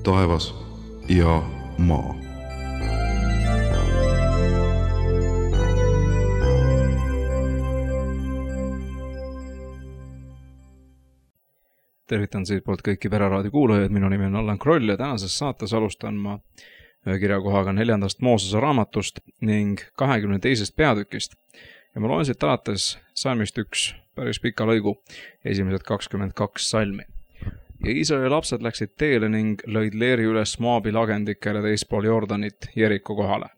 taevas ja maa. Tervitan siitpoolt kõiki Pereraadio kuulajaid, minu nimi on Allan Kroll ja tänases saates alustan ma ühe kirjakohaga 4. Moosese raamatust ning 22. peatükist. Ja ma loen siit alates salmist 1 päris pika lõigu, esimesed 22 salmi. Ja Iisraeli lapsed läksid teele ning lõid leeri üles Moabi lagendikele teispool Jordanit Jeriko kohale.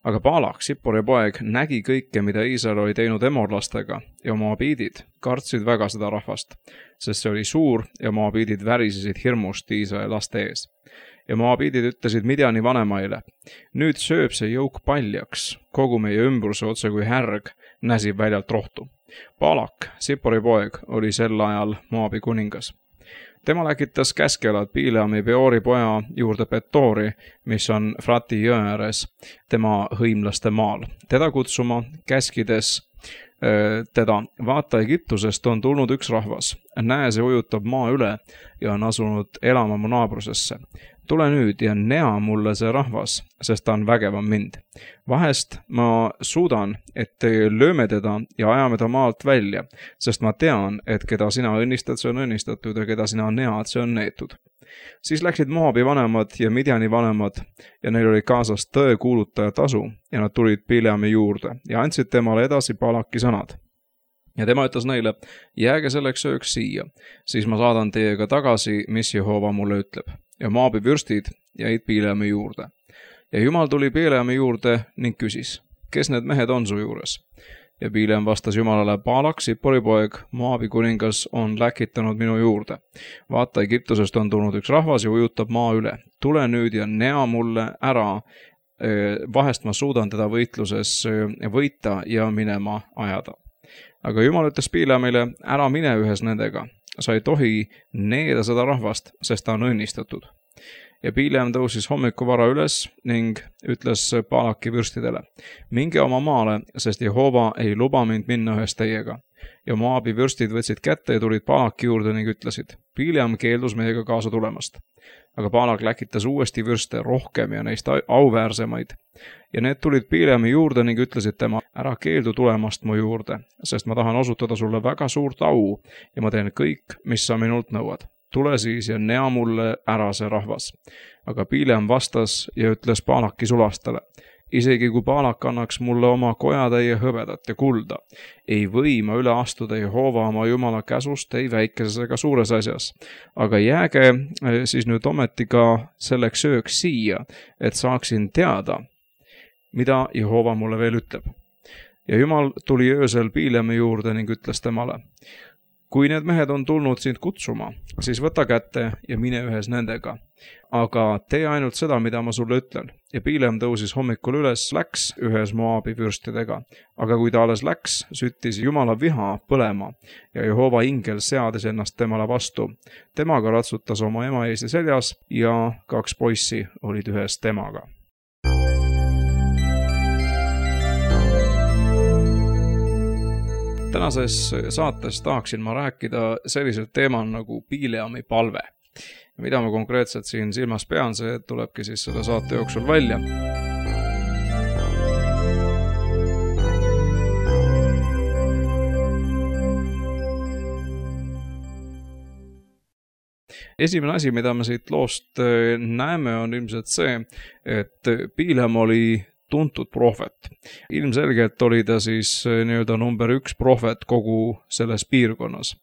Aga Baalak, Sippori poeg, nägi kõike, mida Iisrael oli teinud emorlastega ja Moabiidid kartsid väga seda rahvast, sest see oli suur ja Moabiidid värisesid hirmust Iisraeli laste ees. Ja Moabiidid ütlesid Midjani vanemaile, nüüd sööb see jõuk paljaks, kogu meie ümbruse otse kui härg näsib väljalt rohtu. Baalak, Sippori poeg, oli sel ajal Moabi kuningas. Tema läkitas käskelad Bileami Beori poja juurde Petoori, mis on Frati jõe ääres, tema hõimlaste maal. Teda kutsuma, käskides teda, vaata Egiptusest on tulnud üks rahvas. Näe, see ujutab maa üle ja on asunud elama mu naabrusesse. Tule nüüd ja nea mulle see rahvas, sest ta on vägevam mind. Vahest ma suudan, et lööme teda ja ajame ta maalt välja, sest ma tean, et keda sina õnnistad, see on õnnistatud ja keda sina nead, see on neetud. Siis läksid Moabi vanemad ja Midjani vanemad ja neil oli kaasas tõe kuulutaja tasu ja nad tulid Bileami juurde ja andsid temale edasi Baalaki sõnad. Ja tema ütles neile, jääge selleks ööks siia, siis ma saadan teiega tagasi, mis Jehova mulle ütleb. Ja Moabi vürstid jäid Bileami juurde. Ja Jumal tuli Bileami juurde ning küsis, kes need mehed on su juures? Ja Bileam vastas Jumalale, Baalak, Sippori poeg, Moabi kuningas on läkitanud minu juurde. Vaata, Egiptusest on tulnud üks rahvas ja ujutab maa üle. Tule nüüd ja nea mulle ära, vahest ma suudan teda võitluses võita ja minema ajada. Aga Jumal ütles Bileamile, ära mine ühes nendega. Sa ei tohi needa seda rahvast, sest ta on õnnistatud. Ja Bileam tõusis hommikuvara üles ning ütles Baalaki vürstidele, minge oma maale, sest Jehova ei luba mind minna ühes teiega. Ja Moabi vürstid võtsid kätte ja tulid Baalaki juurde ning ütlesid, Bileam keeldus meiega kaasa tulemast. Aga Baalak läkitas uuesti vürste rohkem ja neist auväärsemaid. Ja need tulid Bileami juurde ning ütlesid tema, ära keeldu tulemast mu juurde, sest ma tahan osutada sulle väga suurt au ja ma teen kõik, mis sa minult nõuad. Tule siis ja nea mulle ära see rahvas. Aga Bileam vastas ja ütles Baalaki sulastele, isegi kui Baalak annaks mulle oma kojatäie hõbedat ja kulda, ei või ma üle astuda Jehova oma Jumala käsust ei väikeses ega suures asjas. Aga jääge siis nüüd ometi ka selleks ööks siia, et saaksin teada, mida Jehova mulle veel ütleb. Ja Jumal tuli öösel Bileami juurde ning ütles temale, kui need mehed on tulnud sind kutsuma, siis võta kätte ja mine ühes nendega. Aga tee ainult seda, mida ma sulle ütlen. Ja Bileam tõusis hommikul üles, läks ühes Moabi vürstidega. Aga kui ta alles läks, süttis Jumala viha põlema ja Jehova ingel seadis ennast temale vastu. Temaga ratsutas oma ema ees ja seljas ja 2 poissi olid ühes temaga. Tänases saates tahaksin ma rääkida sellisel teemal nagu Bileami palve. Mida ma konkreetselt siin silmas pean, see tulebki siis selle saate jooksul välja. Esimene asi, mida me siit loost näeme, on ilmselt see, et Bileam oli tuntud prohvet. Ilmselgelt oli ta siis nii-öelda number 1 prohvet kogu selles piirkonnas.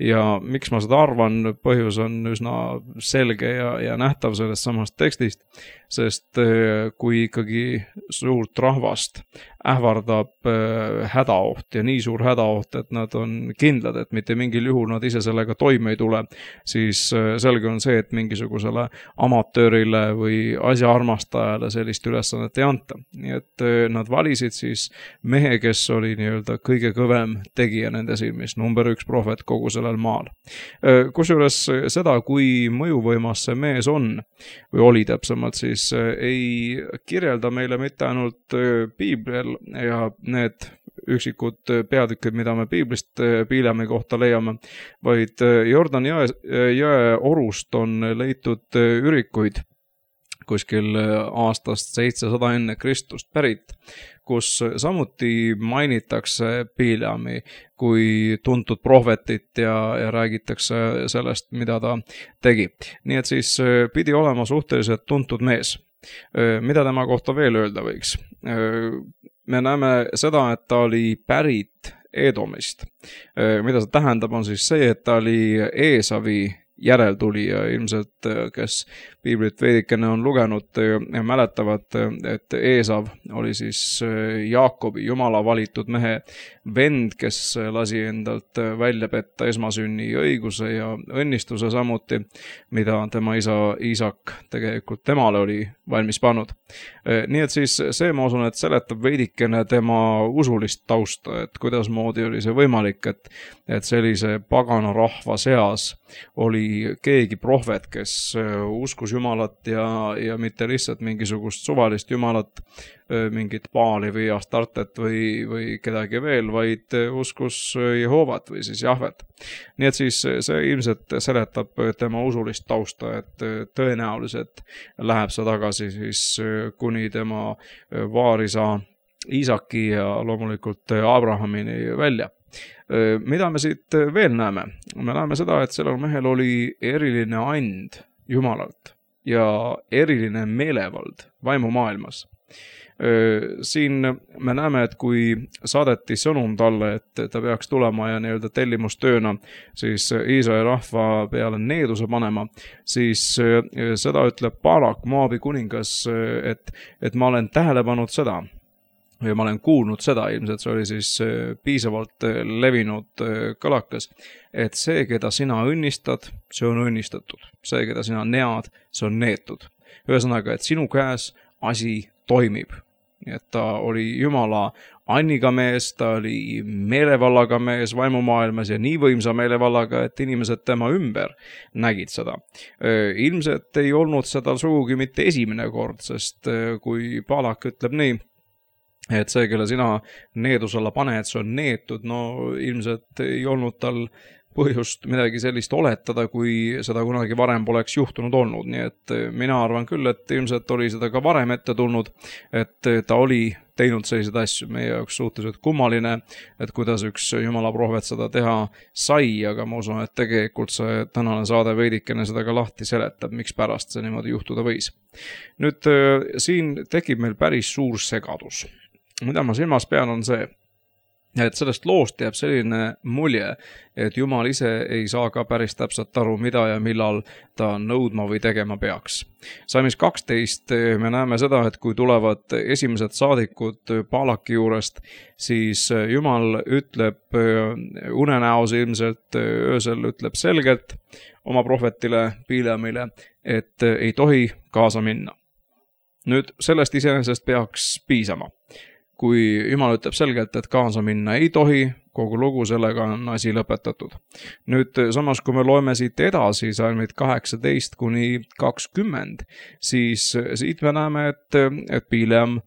Ja miks ma seda arvan, põhjus on üsna selge ja nähtav sellest samast tekstist, sest kui ikkagi suurt rahvast ähvardab hädaoht ja nii suur hädaoht, et nad on kindlad, et mitte mingil juhul nad ise sellega toime ei tule, siis selge on see, et mingisugusele amatöörile või asjaarmastajale sellist ülesannet ei anta. Nii et nad valisid siis mehe, kes oli nii-öelda kõige kõvem tegija nende silmis, number 1 prohvet kogu sellel maal. Kusjuures seda, kui mõjuvõimas see mees on, või oli täpsemalt, siis ei kirjelda meile mitte ainult Piiblil ja need üksikud peatükid, mida me piiblist Bileami kohta leiame, vaid Jordani jõe orust on leitud ürikuid kuskil aastast 700 enne Kristust pärit, kus samuti mainitakse Bileami kui tuntud prohvetit ja räägitakse sellest, mida ta tegi. Nii et siis pidi olema suhteliselt tuntud mees. Mida tema kohta veel öelda võiks? Me näeme seda, et ta oli pärit Edomist. Mida see tähendab, on siis see, et ta oli Eesavi järeltulija, ilmselt kes piiblit veidikene on lugenud ja mäletavad, et Eesav oli siis Jaakobi Jumala valitud mehe vend, kes lasi endalt välja petta esmasünni õiguse ja õnnistuse samuti, mida tema isa Iisak tegelikult temale oli valmis pannud. Nii et siis see, ma usun, et seletab veidikene tema usulist tausta, et kuidasmoodi oli see võimalik, et sellise pagana rahva seas oli keegi prohvet, kes uskus Jumalat ja mitte lihtsalt mingisugust suvalist Jumalat, mingit Baali või Astartet või kedagi veel, vaid uskus Jehovat või siis Jahvet. Nii et siis see ilmselt seletab tema usulist tausta, et tõenäoliselt läheb see tagasi siis kuni tema vaarisa Iisaki ja loomulikult Abrahamini välja. Mida me siit veel näeme? Me näeme seda, et sellel mehel oli eriline and Jumalalt ja eriline meelevald vaimumaailmas. Siin me näeme, et kui saadeti sõnum talle, et ta peaks tulema ja nii-öelda tellimustööna siis Iisraeli rahva peale needuse panema, siis seda ütleb Balak, Moabi kuningas, et ma olen tähele pannud seda, ja ma olen kuulnud seda, ilmselt see oli siis piisavalt levinud kõlakas, et see, keda sina õnnistad, see on õnnistatud. See, keda sina nead, see on neetud. Ühesõnaga, et sinu käes asi toimib. Nii et ta oli Jumala anniga mees, ta oli meelevallaga mees vaimumaailmas ja nii võimsa meelevallaga, et inimesed tema ümber nägid seda. Ilmselt ei olnud seda sugugi mitte esimene kord, sest kui Balak ütleb nii, et see, kelle sina needus alla paned, see on neetud, no ilmselt ei olnud tal põhjust midagi sellist oletada, kui seda kunagi varem poleks juhtunud olnud. Nii et mina arvan küll, et ilmselt oli seda ka varem ette tulnud, et ta oli teinud selliseid asju. Meie jaoks suhteliselt kummaline, et kuidas üks Jumala prohvet seda teha sai, aga ma usun, et tegelikult see tänane saade veidikene seda ka lahti seletab, miks pärast see niimoodi juhtuda võis. Nüüd siin tekib meil päris suur segadus. Mida ma silmas pean, on see, et sellest loost jääb selline mulje, et Jumal ise ei saa ka päris täpselt aru, mida ja millal ta nõudma või tegema peaks. Salmis 12 me näeme seda, et kui tulevad esimesed saadikud Balaki juurest, siis Jumal ütleb unenäos ilmselt öösel ütleb selgelt oma prohvetile Bileamile, et ei tohi kaasa minna. Nüüd sellest iseenesest peaks piisama. Kui Jumal ütleb selgelt, et kaasa minna ei tohi, kogu lugu sellega on asi lõpetatud. Nüüd samas, kui me loeme siit edasi, salmid 18 kuni 20, siis siit me näeme, et Bileam,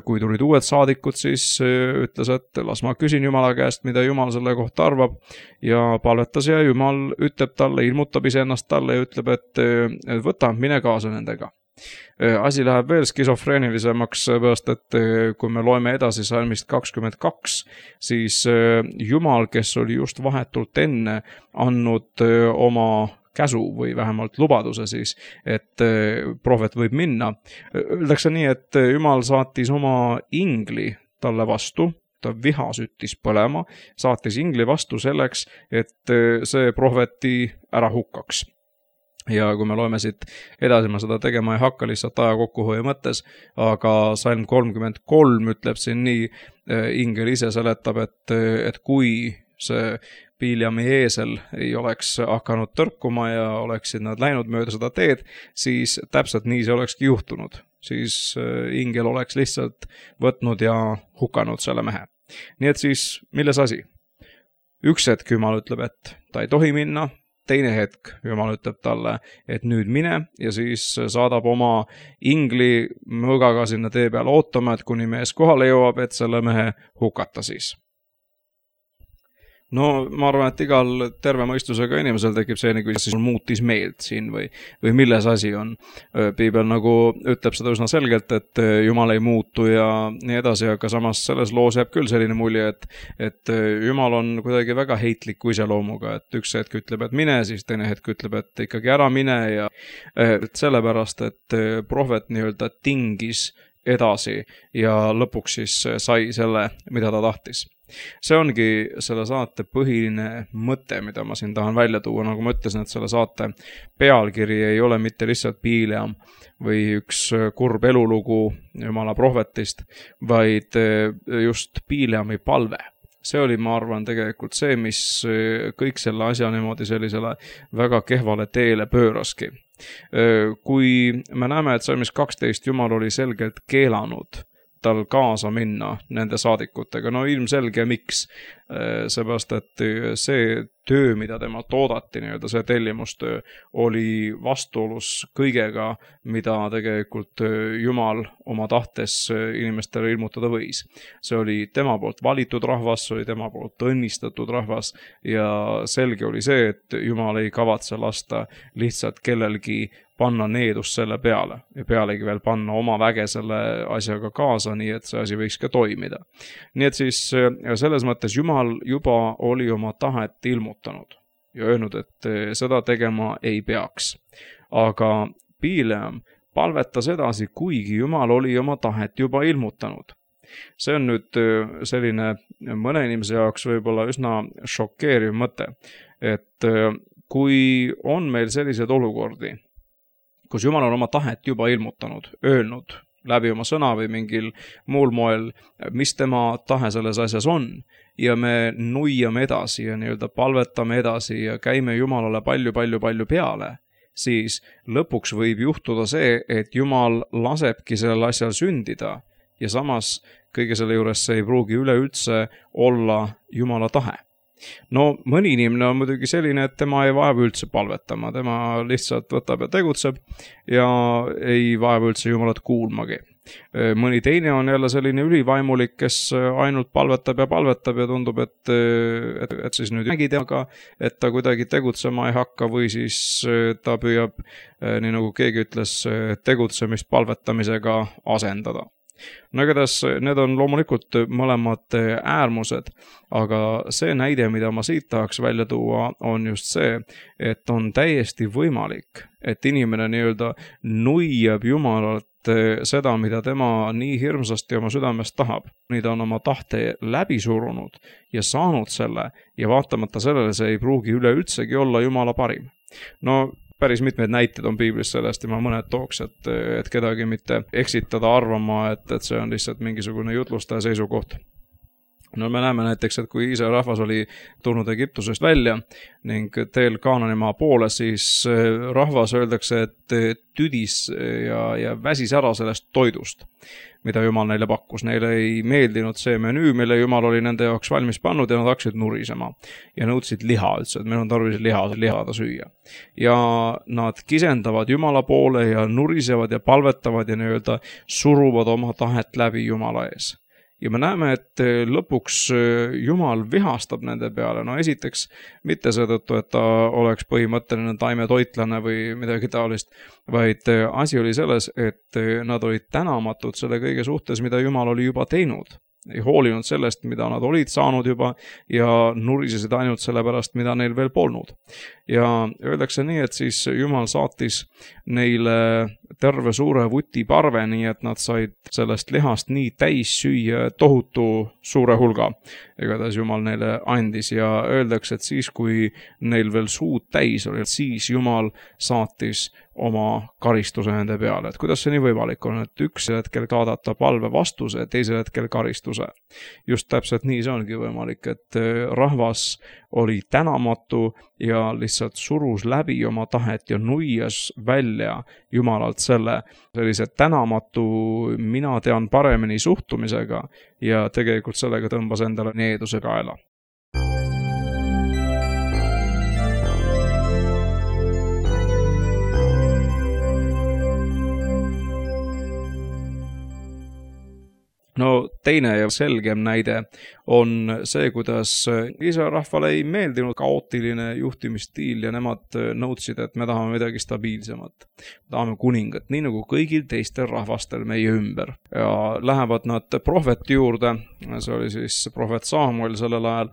kui tulid uued saadikud, siis ütles, et las ma küsin Jumala käest, mida Jumal selle kohta arvab, ja palvetas ja Jumal ütleb talle, ilmutab iseennast talle ja ütleb, et võta, mine kaasa nendega. Asi läheb veel skisofreenilisemaks, sest et kui me loeme edasi salmist 22, siis Jumal, kes oli just vahetult enne andnud oma käsu või vähemalt lubaduse siis, et prohvet võib minna. Öeldakse nii, et Jumal saatis oma ingli talle vastu, ta viha süttis põlema, saatis ingli vastu selleks, et see prohveti ära hukkaks. Ja kui me loeme siit edasi, ma seda tegema ei hakka lihtsalt aja kokkuhoiu mõttes, aga salm 33 ütleb siin nii, ingel ise seletab, et kui see Bileami eesel ei oleks hakanud tõrkuma ja oleksid nad läinud mööda seda teed, siis täpselt nii see olekski juhtunud. Siis ingel oleks lihtsalt võtnud ja hukanud selle mehe. Nii et siis, milles asi? Üks hetk Jumal ütleb, et ta ei tohi minna, teine hetk Jumal ütleb talle, et nüüd mine ja siis saadab oma ingli mõõgaga sinna tee peal ootama, et kuni mees kohale jõuab, et selle mehe hukata siis. No ma arvan, et igal terve mõistusega inimesel tekib selline küsimus, siis muutis meelt siin või milles asi on. Piibel nagu ütleb seda üsna selgelt, et Jumal ei muutu ja nii edasi, aga samas selles loos jääb küll selline mulje, et Jumal on kuidagi väga heitliku iseloomuga, et üks hetk ütleb, et mine, siis teine hetk ütleb, et ikkagi ära mine ja sellepärast, et prohvet nii-öelda tingis edasi ja lõpuks siis sai selle, mida ta tahtis. See ongi selle saate põhiline mõte, mida ma siin tahan välja tuua, nagu ma ütlesin, et selle saate pealkiri ei ole mitte lihtsalt Bileam või üks kurb elulugu Jumala prohvetist, vaid just Bileami palve. See oli, ma arvan, tegelikult see, mis kõik selle asja niimoodi sellisele väga kehvale teele pööraski. Kui me näeme, et salmis 12 Jumal oli selgelt keelanud tal kaasa minna nende saadikutega. No ilmselge miks, seepärast, et see töö, mida temalt oodati, nii-öelda see tellimustöö, oli vastuolus kõigega, mida tegelikult Jumal oma tahtes inimestele ilmutada võis. See oli tema poolt valitud rahvas, see oli tema poolt õnnistatud rahvas ja selge oli see, et Jumal ei kavatse lasta lihtsalt kellelgi panna needust selle peale ja pealegi veel panna oma väge selle asjaga kaasa, nii et see asi võiks ka toimida. Nii et siis selles mõttes Jumal juba oli oma tahet ilmutanud ja öelnud, et seda tegema ei peaks. Aga Bileam palvetas edasi, kuigi Jumal oli oma tahet juba ilmutanud. See on nüüd selline mõne inimese jaoks võib-olla üsna šokeeriv mõte, et kui on meil sellised olukordi, kus Jumal on oma tahet juba ilmutanud, öelnud läbi oma sõna või mingil muul moel, mis tema tahe selles asjas on, ja me nuiame edasi ja nii-öelda palvetame edasi ja käime Jumalale palju peale, siis lõpuks võib juhtuda see, et Jumal lasebki sellel asjal sündida ja samas kõige selle juures see ei pruugi üleüldse olla Jumala tahe. No mõni inimene on muidugi selline, et tema ei vaeva üldse palvetama, tema lihtsalt võtab ja tegutseb ja ei vaeva üldse Jumalat kuulmagi. Mõni teine on jälle selline ülivaimulik, kes ainult palvetab ja tundub, et siis nüüd nägi temaga, et ta kuidagi tegutsema ei hakka või siis ta püüab, nii nagu keegi ütles, tegutsemist palvetamisega asendada. No igatahes need on loomulikult mõlemad äärmused, aga see näide, mida ma siit tahaks välja tuua, on just see, et on täiesti võimalik, et inimene nii-öelda nuiab Jumalalt seda, mida tema nii hirmsasti oma südamest tahab. Nii ta on oma tahte läbi surunud ja saanud selle ja vaatamata sellele see ei pruugi üleüldsegi olla Jumala parim. No päris mitmeid näiteid on piiblis sellest ja ma mõned tooks, et kedagi mitte eksitada arvama, et see on lihtsalt mingisugune jutlustaja seisukoht. No me näeme näiteks, et kui Iisraeli rahvas oli tulnud Egiptusest välja ning teel Kaananimaa poole, siis rahvas öeldakse, et tüdis ja väsis ära sellest toidust, mida Jumal neile pakkus. Neile ei meeldinud see menüü, mille Jumal oli nende jaoks valmis pannud ja nad hakkasid nurisema ja nõudsid liha üldse, et meil on tarvis lihada süüa. Ja nad kisendavad Jumala poole ja nurisevad ja palvetavad ja nii-öelda suruvad oma tahet läbi Jumala ees. Ja me näeme, et lõpuks Jumal vihastab nende peale. No esiteks mitte seetõttu, et ta oleks põhimõtteline taimetoitlane või midagi taolist, vaid asi oli selles, et nad olid tänamatud selle kõige suhtes, mida Jumal oli juba teinud. Ei hoolinud sellest, mida nad olid saanud juba ja nurisesid ainult selle pärast, mida neil veel polnud. Ja öeldakse nii, et siis Jumal saatis neile terve suure vuti parve, nii et nad said sellest lihast nii täis süüa tohutu suure hulga. Igatahes Jumal neile andis ja öeldakse, et siis kui neil veel suud täis oli, siis Jumal saatis oma karistuse nende peale. Et kuidas see nii võimalik on, et üks hetkel saadata palve vastuse, teisel hetkel karistuse. Just täpselt nii see ongi võimalik, et rahvas oli tänamatu ja lihtsalt surus läbi oma tahet ja nuias välja Jumalalt sellise tänamatu mina tean paremini suhtumisega ja tegelikult sellega tõmbas endale needuse kaela. No teine ja selgem näide on see, kuidas Iisraeli rahvale ei meeldinud kaootiline juhtimisstiil ja nemad nõudsid, et me tahame midagi stabiilsemat. Tahame kuningat, nii nagu kõigil teistel rahvastel meie ümber. Ja lähevad nad prohveti juurde, see oli siis prohvet Samuel sellel ajal,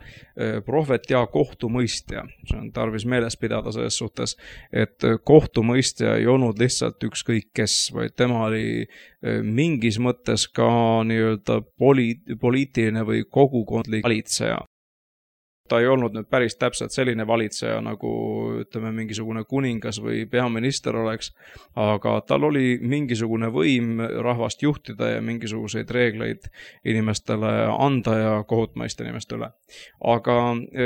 prohvet ja kohtumõistja. See on tarvis meeles pidada selles suhtes, et kohtumõistja ei olnud lihtsalt ükskõik kes, vaid tema oli mingis mõttes ka nii-öelda poliitiline või kogukondlik valitseja. Ta ei olnud nüüd päris täpselt selline valitseja, nagu ütleme mingisugune kuningas või peaminister oleks, aga tal oli mingisugune võim rahvast juhtida ja mingisuguseid reegleid inimestele anda ja kohut mõista inimeste üle. Aga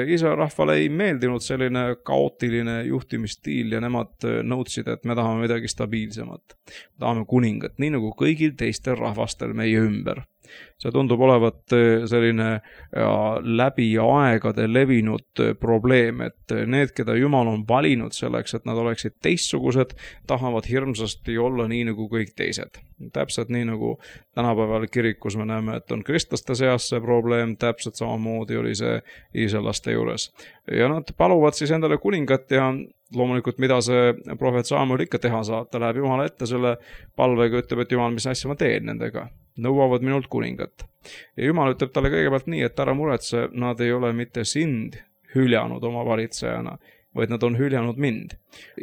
Iisraeli rahvale ei meeldinud selline kaootiline juhtimisstiil ja nemad nõudsid, et me tahame midagi stabiilsemat. Tahame kuningat, nii nagu kõigil teistel rahvastel meie ümber. See tundub olevat selline läbi aegade levinud probleem, et need, keda Jumal on valinud selleks, et nad oleksid teistsugused, tahavad hirmsasti olla nii nagu kõik teised. Täpselt nii nagu tänapäeval kirikus me näeme, et on kristlaste seas see probleem, täpselt samamoodi oli see iisraellaste juures. Ja nad paluvad siis endale kuningat ja loomulikult, mida see prohvet Samuel ikka teha saab, ta läheb Jumala ette selle palvega, ütleb, et Jumal, mis asja ma teen nendega. Nõuavad minult kuningat. Ja Jumal ütleb talle kõigepealt nii, et ära muretse, nad ei ole mitte sind hüljanud oma valitsejana, vaid nad on hüljanud mind.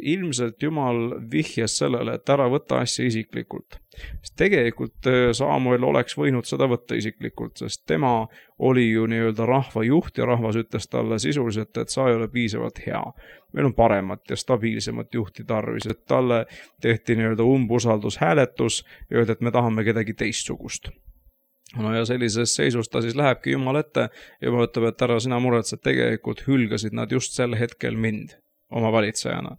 Ilmselt Jumal vihjas sellele, et ära võtta asja isiklikult. Sest tegelikult Samuel oleks võinud seda võtta isiklikult, sest tema oli ju nii-öelda rahva juht ja rahvas ütles talle sisuliselt, et sa ei ole piisavalt hea. Meil on paremat ja stabiilsemat juhti tarvis, et talle tehti nii-öelda umbusaldushääletus ja öeldi, et me tahame kedagi teistsugust. No ja sellises seisus ta siis lähebki Jumal ette ja Jumal ütleb, et ära sina muretsed, tegelikult hülgasid nad just sel hetkel mind oma valitsejana.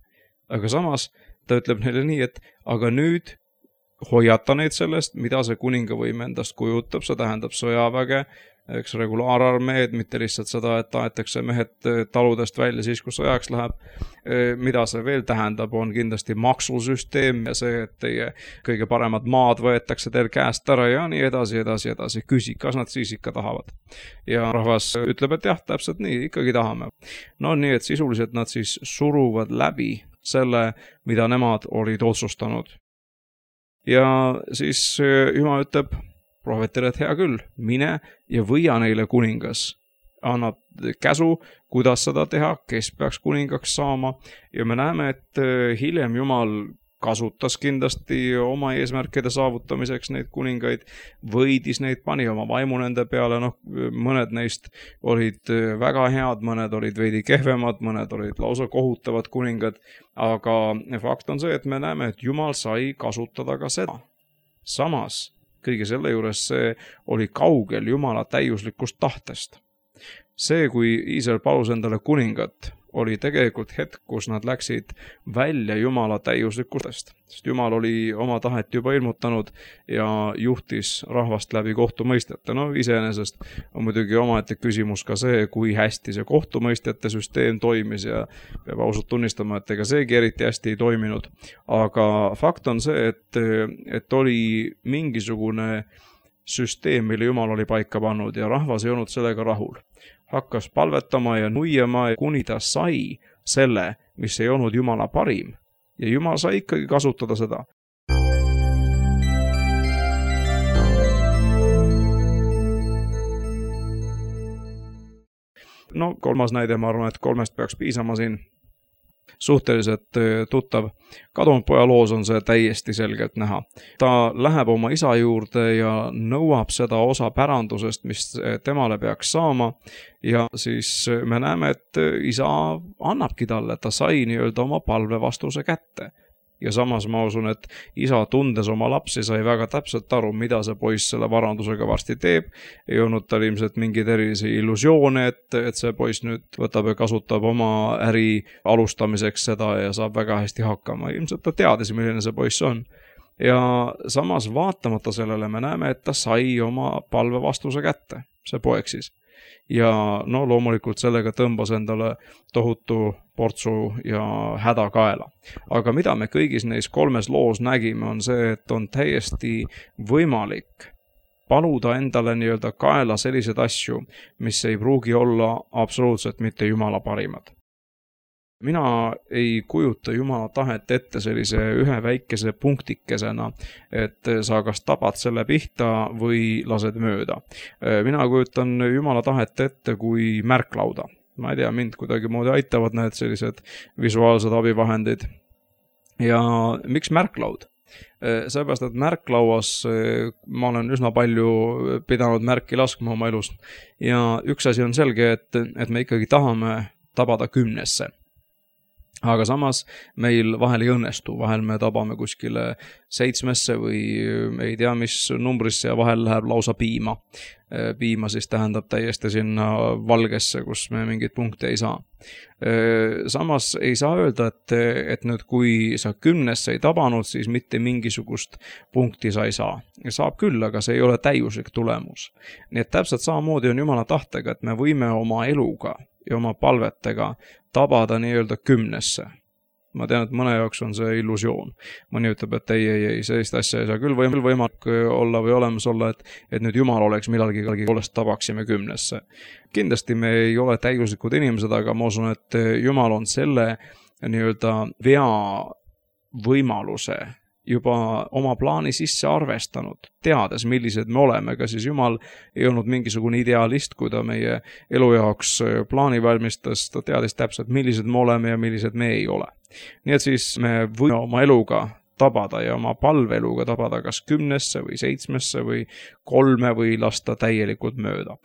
Aga samas ta ütleb neile nii, et aga nüüd hoiata neid sellest, mida see kuningavõim endast kujutab, see tähendab sõjaväge, eks regulaararmeed, mitte lihtsalt seda, et taetakse mehed taludest välja siis, kus sõjaks läheb. Mida see veel tähendab, on kindlasti maksusüsteem ja see, et teie kõige paremad maad võetakse teil käest ära ja nii edasi. Küsi, kas nad siis ikka tahavad. Ja rahvas ütleb, et jah, täpselt nii, ikkagi tahame. No nii, et sisuliselt nad siis suruvad läbi selle, mida nemad olid otsustanud. Ja siis Jumal ütleb prohvetile, et hea küll, mine ja võia neile kuningas. Annab käsu, kuidas seda teha, kes peaks kuningaks saama. Ja me näeme, et hiljem Jumal kasutas kindlasti oma eesmärkide saavutamiseks neid kuningaid, võidis neid, pani oma vaimu nende peale, mõned neist olid väga head, mõned olid veidi kehvemad, mõned olid lausa kohutavad kuningad, aga fakt on see, et me näeme, et Jumal sai kasutada ka seda. Samas, kõige selle juures see oli kaugel Jumala täiuslikust tahtest. See, kui Iisrael palus endale kuningat, oli tegelikult hetk, kus nad läksid välja Jumala täiuslikustest. Sest Jumal oli oma tahet juba ilmutanud ja juhtis rahvast läbi kohtumõistjate. No iseenesest on muidugi omaette küsimus ka see, kui hästi see kohtumõistjate süsteem toimis ja peab ausalt tunnistama, et ega seegi eriti hästi ei toiminud. Aga fakt on see, et oli mingisugune süsteem, mille Jumal oli paika pannud ja rahvas ei olnud sellega rahul. Hakkas palvetama ja nuiema, kuni ta sai selle, mis ei olnud Jumala parim. Ja Jumal sai ikkagi kasutada seda. No kolmas näide, ma arvan, et 3 peaks piisama siin. Suhteliselt tuttav kadunud poja loos on see täiesti selgelt näha. Ta läheb oma isa juurde ja nõuab seda osa pärandusest, mis temale peaks saama ja siis me näeme, et isa annabki talle, ta sai nii-öelda oma palve vastuse kätte. Ja samas ma usun, et isa tundes oma lapsi sai väga täpselt aru, mida see poiss selle varandusega varsti teeb. Ei olnud tal ilmselt mingeid erilisi illusioone, et see poiss nüüd võtab ja kasutab oma äri alustamiseks seda ja saab väga hästi hakkama. Ilmselt ta teadis, milline see poiss on. Ja samas vaatamata sellele me näeme, et ta sai oma palve vastuse kätte, see poeg siis. Ja loomulikult sellega tõmbas endale tohutu portsu ja häda kaela. Aga mida me kõigis neis 3 loos nägime, on see, et on täiesti võimalik paluda endale nii-öelda kaela sellised asju, mis ei pruugi olla absoluutselt mitte Jumala parimad. Mina ei kujuta Jumala tahet ette sellise ühe väikese punktikesena, et sa kas tabad selle pihta või lased mööda. Mina kujutan Jumala tahet ette kui märklauda. Ma ei tea, mind kuidagi moodi aitavad need sellised visuaalsed abivahendid. Ja miks märklaud? Seepärast, et märklauas ma olen üsna palju pidanud märki laskma oma elust. Ja üks asi on selge, et me ikkagi tahame tabada 10. Aga samas meil vahel ei õnnestu, vahel me tabame kuskile 7 või ei tea mis numbrisse ja vahel läheb lausa piima. Piima siis tähendab täiesti sinna valgesse, kus me mingit punkte ei saa. Samas ei saa öelda, et nüüd kui sa 10 ei tabanud, siis mitte mingisugust punkti sa ei saa. Saab küll, aga see ei ole täiuslik tulemus. Nii et täpselt samamoodi on Jumala tahtega, et me võime oma eluga ja oma palvetega tabada nii-öelda 10. Ma tean, et mõne jaoks on see illusioon. Mõni ütleb, et ei, sellist asja ei saa küll võimalik olla või olemas olla, et nüüd Jumal oleks millalgi poolest tabaksime 10. Kindlasti me ei ole täiuslikud inimesed, aga ma usun, et Jumal on selle nii-öelda vea võimaluse juba oma plaani sisse arvestanud, teades, millised me oleme, ka siis Jumal ei olnud mingisugune idealist, kui ta meie elu jaoks plaani valmistas, ta teadis täpselt, millised me oleme ja millised me ei ole. Nii et siis me võime oma eluga tabada ja oma palveeluga tabada kas 10 või 7 või 3 või lasta täielikult mööda.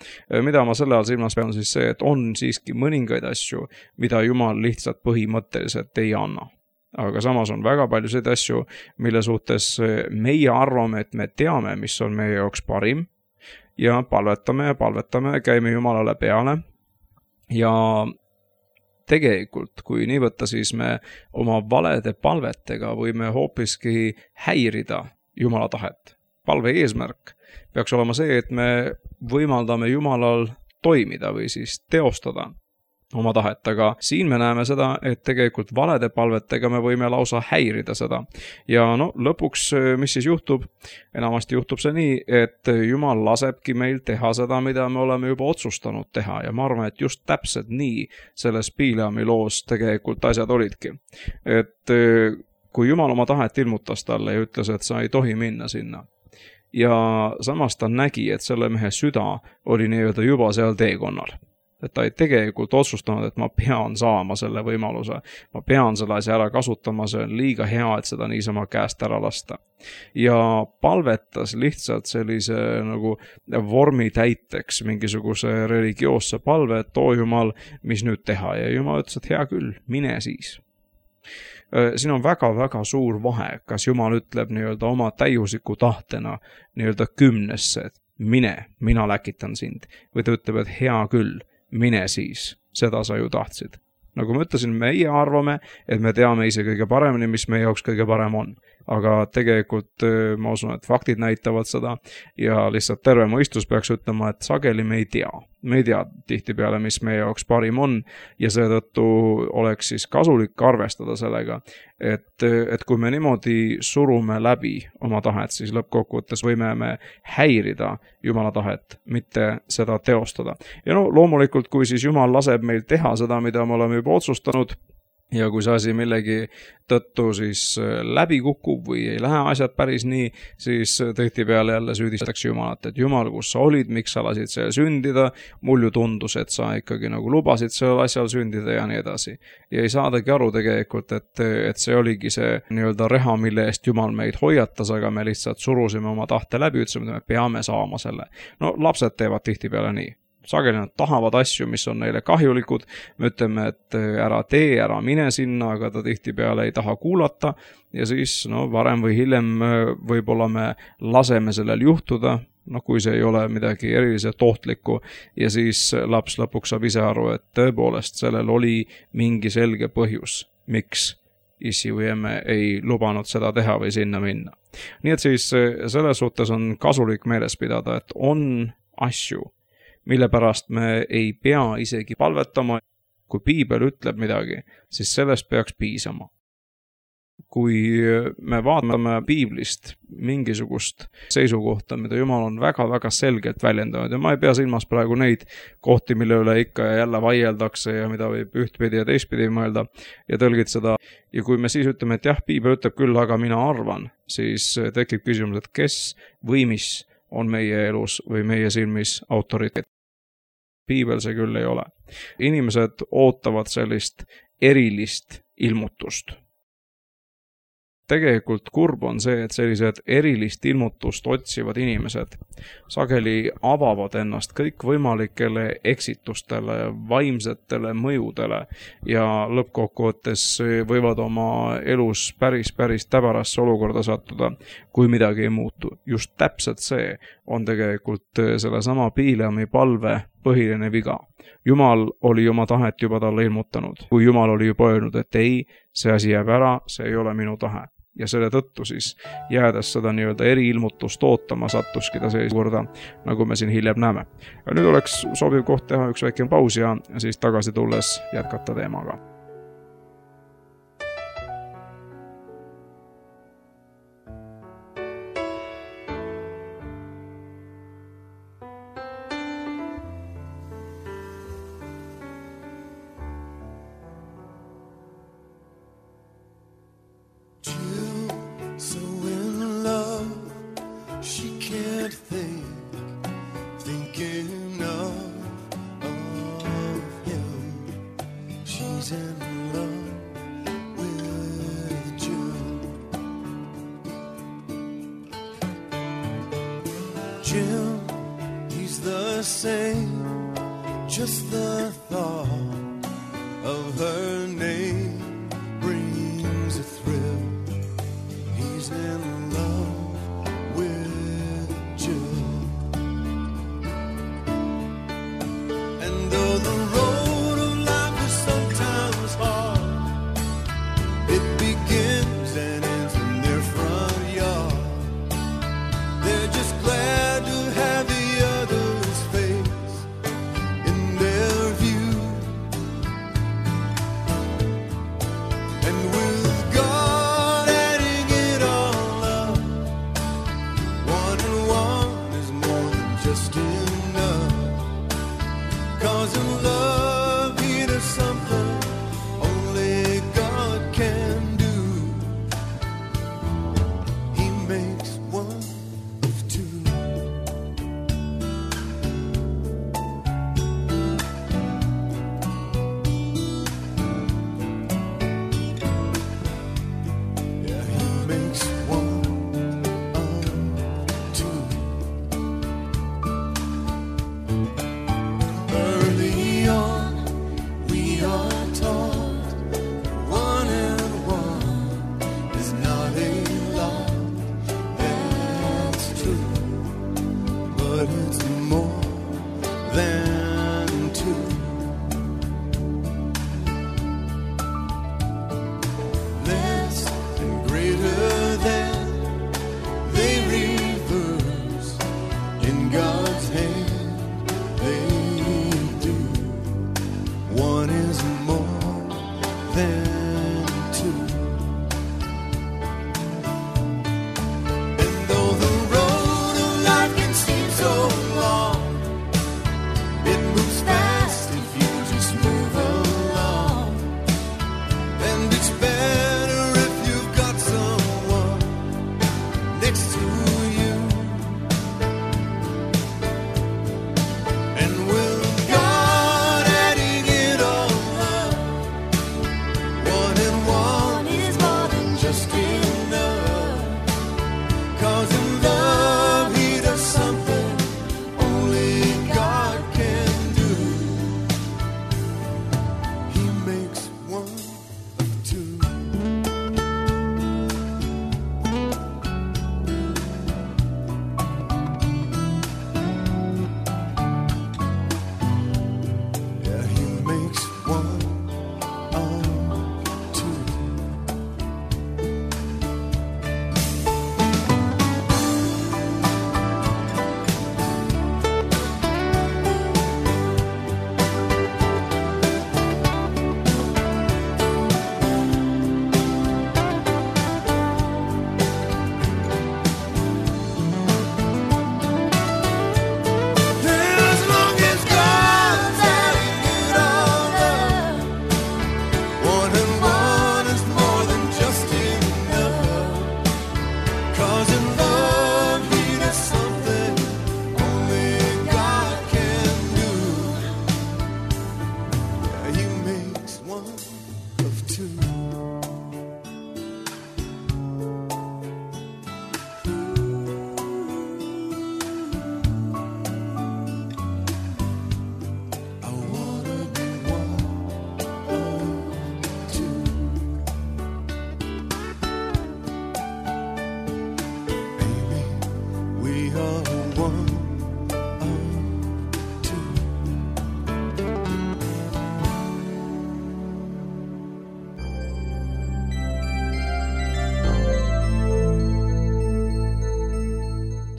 Mida ma selle all silmas pean siis see, et on siiski mõningaid asju, mida Jumal lihtsalt põhimõtteliselt ei anna. Aga samas on väga palju seda asju, mille suhtes meie arvame, et me teame, mis on meie jaoks parim ja palvetame, käime Jumalale peale ja tegelikult, kui nii võtta, siis me oma valede palvetega võime hoopiski häirida Jumala tahet. Palve eesmärk peaks olema see, et me võimaldame Jumalal toimida või siis teostada oma tahet, aga siin me näeme seda, et tegelikult valede palvetega me võime lausa häirida seda. Ja lõpuks, mis siis juhtub? Enamasti juhtub see nii, et Jumal lasebki meil teha seda, mida me oleme juba otsustanud teha ja ma arvan, et just täpselt nii selles Bileami loos tegelikult asjad olidki. Et kui Jumal oma tahet ilmutas talle ja ütles, et sa ei tohi minna sinna ja samas ta nägi, et selle mehe süda oli nii-öelda juba seal teekonnal. Et ta ei tegelikult otsustanud, et ma pean saama selle võimaluse, ma pean selle asja ära kasutama, see on liiga hea, et seda niisama käest ära lasta. Ja palvetas lihtsalt sellise nagu vormi täiteks mingisuguse religioosse palve, et Jumal, mis nüüd teha, ja Jumal ütles, et hea küll, mine siis. Siin on väga-väga suur vahe, kas Jumal ütleb nii-öelda oma täiusliku tahtena nii-öelda 10, et mine, mina läkitan sind, või ta ütleb, et hea küll, mine siis, seda sa ju tahtsid. Nagu ma ütlesin, meie arvame, et me teame ise kõige paremini, mis meie jaoks kõige parem on. Aga tegelikult ma usun, et faktid näitavad seda ja lihtsalt terve mõistus peaks ütlema, et sageli me ei tea. Me ei tea tihtipeale, mis meie jaoks parim on ja seetõttu oleks siis kasulik arvestada sellega, et kui me niimoodi surume läbi oma tahet, siis lõppkokkuvõttes võime me häirida Jumala tahet, mitte seda teostada. Ja loomulikult, kui siis Jumal laseb meil teha seda, mida me oleme juba otsustanud, ja kui see asi millegi tõttu siis läbi kukub või ei lähe asjad päris nii, siis tihtipeale jälle süüdistatakse Jumalat, et Jumal, kus sa olid, miks sa lasid seal sündida, mul ju tundus, et sa ikkagi nagu lubasid seal asjal sündida ja nii edasi. Ja ei saadagi aru tegelikult, et see oligi see nii-öelda reha, mille eest Jumal meid hoiatas, aga me lihtsalt surusime oma tahte läbi, ütlesime, et me peame saama selle. Lapsed teevad tihtipeale nii. Sageli nad tahavad asju, mis on neile kahjulikud, me ütleme, et ära tee, ära mine sinna, aga ta tihtipeale ei taha kuulata ja siis varem või hiljem võib-olla me laseme sellel juhtuda, kui see ei ole midagi eriliselt ohtlikku ja siis laps lõpuks saab ise aru, et tõepoolest sellel oli mingi selge põhjus, miks issi või emme ei lubanud seda teha või sinna minna. Nii et siis selles suhtes on kasulik meeles pidada, et on asju, mille pärast me ei pea isegi palvetama. Kui Piibel ütleb midagi, siis sellest peaks piisama. kui me vaatame piiblist mingisugust seisukohta, mida Jumal on väga-väga selgelt väljendanud, ja ma ei pea silmas praegu neid kohti, mille üle ikka ja jälle vaieldakse ja mida võib ühtpidi ja teistpidi mõelda ja tõlgitseda. Ja kui me siis ütleme, et jah, piibel ütleb küll, aga mina arvan, siis tekib küsimus, et kes või mis on meie elus või meie silmis autoriteet. Piibel see küll ei ole. Inimesed ootavad sellist erilist ilmutust. Tegelikult kurb on see, et sellised erilist ilmutust otsivad inimesed sageli avavad ennast kõikvõimalikele eksitustele, vaimsetele mõjudele ja lõppkokkuvõttes võivad oma elus päris täbarasse olukorda sattuda, kui midagi ei muutu. Just täpselt see on tegelikult sellesama Bileami palve põhiline viga. Jumal oli oma tahet juba talle ilmutanud, kui Jumal oli juba öelnud, et ei, see asi jääb ära, see ei ole minu tahe. Ja selle tõttu siis jäädes seda nii-öelda eriilmutust ootama sattuski ta seiskorda, nagu me siin hiljem näeme. Ja nüüd oleks sobiv koht teha üks väike paus ja siis tagasi tulles jätkata teemaga. Jim, he's the same, just the thought of her name brings a thrill. He's in love with Jill. And though the road of life is sometimes hard, it begins and ends in their front yard. They're just glad to have the other's face in their view.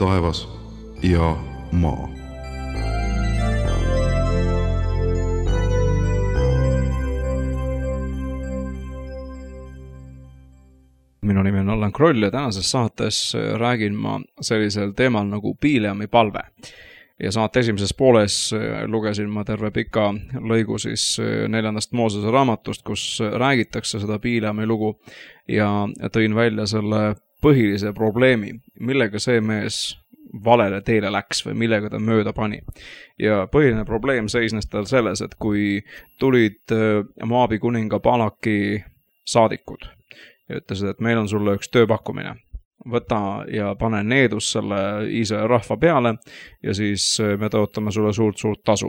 taevas ja maa. Minu nimi on Allan Kroll ja tänases saates räägin ma sellisel teemal nagu Bileami palve. Ja saate esimeses pooles lugesin ma terve pika lõigu siis 4. Moosese raamatust, kus räägitakse seda Bileami lugu ja tõin välja selle põhilise probleemi, millega see mees valele teele läks või millega ta mööda pani. Ja põhiline probleem seisnes tal selles, et kui tulid Moabi kuninga Balaki saadikud ja ütlesid, et meil on sulle üks tööpakkumine. Võta ja pane needus selle Iisraeli rahva peale ja siis me tõotame sulle suurt tasu.